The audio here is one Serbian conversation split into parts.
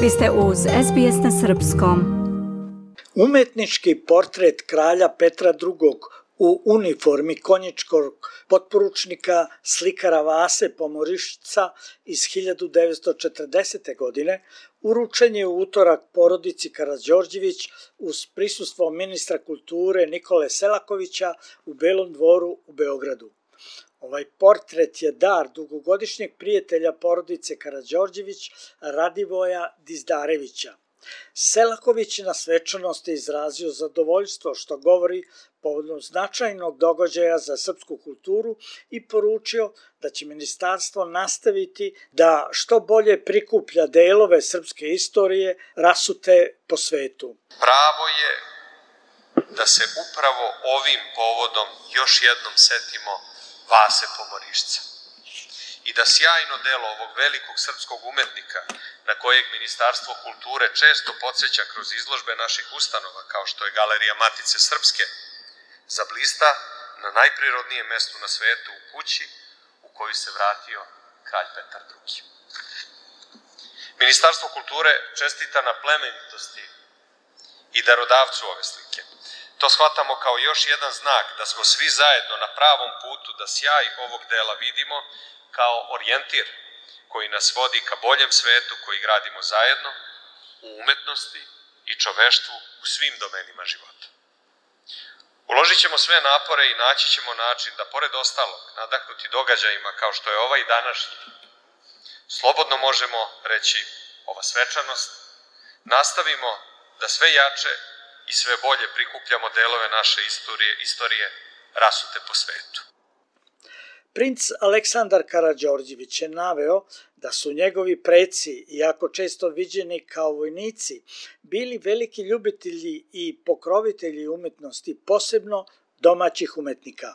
Vi ste uz SBS na srpskom. Umetnički portret kralja Petra II. U uniformi konjičkog potporučnika slikara Vase Pomorišca iz 1940. godine uručen je u utorak porodici Karađorđević uz prisustvo ministra kulture Nikole Selakovića u Belom dvoru u Beogradu. Ovaj portret je dar dugogodišnjeg prijatelja porodice Karađorđević Radivoja Dizdarevića. Selaković na svečanosti izrazio zadovoljstvo što govori povodom značajnog događaja za srpsku kulturu i poručio da će ministarstvo nastaviti da što bolje prikuplja delove srpske istorije rasute po svetu. Pravo je da se upravo ovim povodom još jednom setimo Vase Pomorišca i da sjajno delo ovog velikog srpskog umetnika, na kojeg Ministarstvo kulture često podsjeća kroz izložbe naših ustanova, kao što je Galerija Matice Srpske, zablista na najprirodnijem mestu na svetu, u kući u koju se vratio kralj Petar II. Ministarstvo kulture čestita na plemenitosti i darodavcu ove slike. To shvatamo kao još jedan znak da smo svi zajedno na pravom putu da sjaj ovog dela vidimo kao orijentir koji nas vodi ka boljem svetu koji gradimo zajedno u umetnosti i čoveštvu u svim domenima života. Uložit ćemo sve napore i naći ćemo način da, pored ostalog, nadahnuti događajima kao što je ovaj današnji, slobodno možemo reći ova svečanost, nastavimo da sve jače i sve bolje prikupljamo delove naše istorije rasute po svetu. Princ Aleksandar Karađorđević je naveo da su njegovi preci, iako često viđeni kao vojnici, bili veliki ljubitelji i pokrovitelji umetnosti, posebno domaćih umetnika.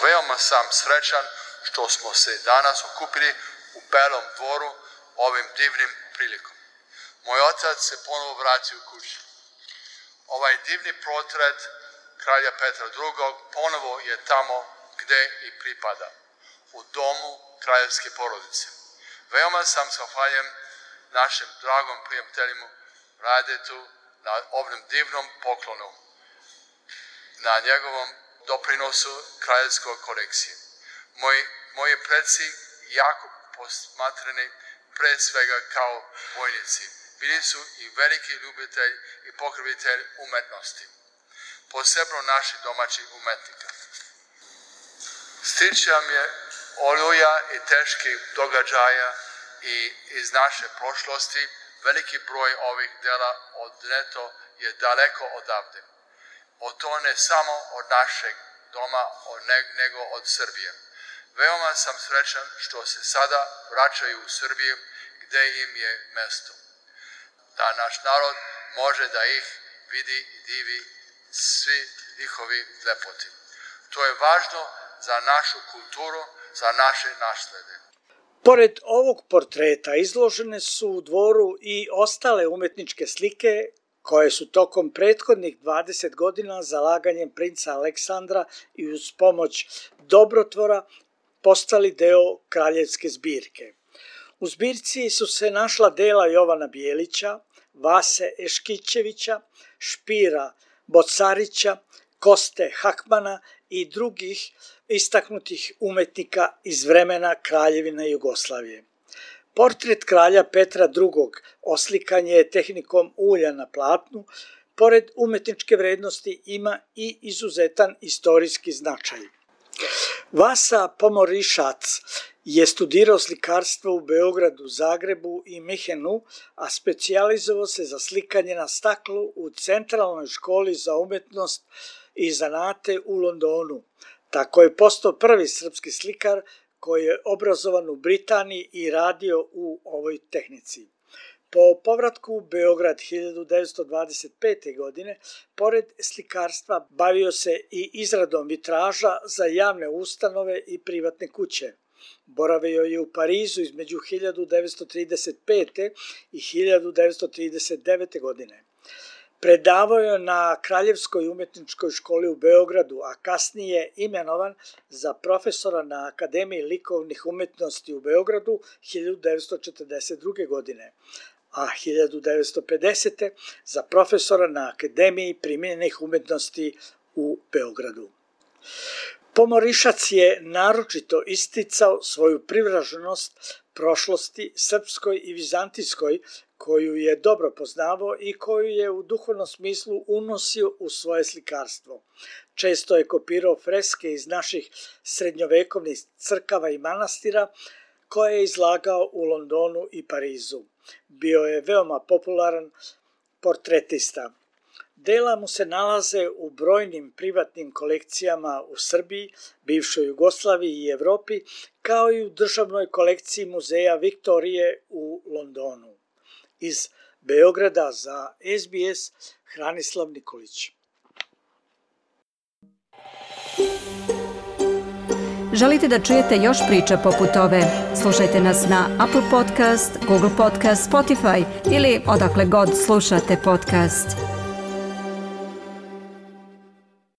Veoma sam srećan što smo se danas okupili u Belom dvoru ovim divnim prilikom. Moj otac se ponovo vratio u kući. Ovaj divni portret kralja Petra II. Ponovo je tamo gde i pripada, u domu kraljevske porodice. Veoma sam zahvaljen našem dragom prijatelju Radetu na ovom divnom poklonu, na njegovom doprinosu kraljevskoj kolekciji. Moji preci jako posmatrani pre svega kao vojnici. Bili su i veliki ljubitelj i pokrovitelj umetnosti, posebno naši domaći umetnika. Stičam je oluja i teških događaja i iz naše prošlosti, veliki broj ovih dela odneto je daleko odavde. O to ne samo od našeg doma, nego od Srbije. Veoma sam srećan što se sada vraćaju u Srbiju gde im je mesto. Da naš narod može da ih vidi i divi svi njihovi lepoti. To je važno za našu kulturu, za naše naslede. Pored ovog portreta izložene su u dvoru i ostale umetničke slike koje su tokom prethodnih 20 godina zalaganjem princa Aleksandra i uz pomoć dobrotvora postali deo kraljevske zbirke. U zbirci su se našla dela Jovana Bijelića, Vase Eškićevića, Špira Bocarića, Koste Hakmana i drugih istaknutih umetnika iz vremena Kraljevine Jugoslavije. Portret kralja Petra II. Oslikan je tehnikom ulja na platnu, pored umetničke vrednosti ima i izuzetan istorijski značaj. Vasa Pomorišac je studirao slikarstvo u Beogradu, Zagrebu i Minhenu, a specijalizovao se za slikanje na staklu u Centralnoj školi za umetnost i zanate u Londonu. Tako je postao prvi srpski slikar koji je obrazovan u Britaniji i radio u ovoj tehnici. Po povratku u Beograd 1925. godine, pored slikarstva bavio se i izradom vitraža za javne ustanove i privatne kuće. Boravio je u Parizu između 1935. i 1939. godine. Predavao je na Kraljevskoj umetničkoj školi u Beogradu, a kasnije imenovan za profesora na Akademiji likovnih umetnosti u Beogradu 1942. godine. a 1950. za profesora na Akademiji primijenjenih umjetnosti u Beogradu. Pomorišac je naročito isticao svoju privrženost prošlosti srpskoj i vizantijskoj, koju je dobro poznavao i koju je u duhovnom smislu unosio u svoje slikarstvo. Često je kopirao freske iz naših srednjovekovnih crkava i manastira, koje je izlagao u Londonu i Parizu. Bio je veoma popularan portretista. Dela mu se nalaze u brojnim privatnim kolekcijama u Srbiji, bivšoj Jugoslaviji i Evropi, kao i u državnoj kolekciji muzeja Viktorije u Londonu. Iz Beograda za SBS Hranislav Nikolić. Želite da čujete još priča poput ove? Slušajte nas na Apple Podcast, Google Podcast, Spotify ili odakle god slušate podcast.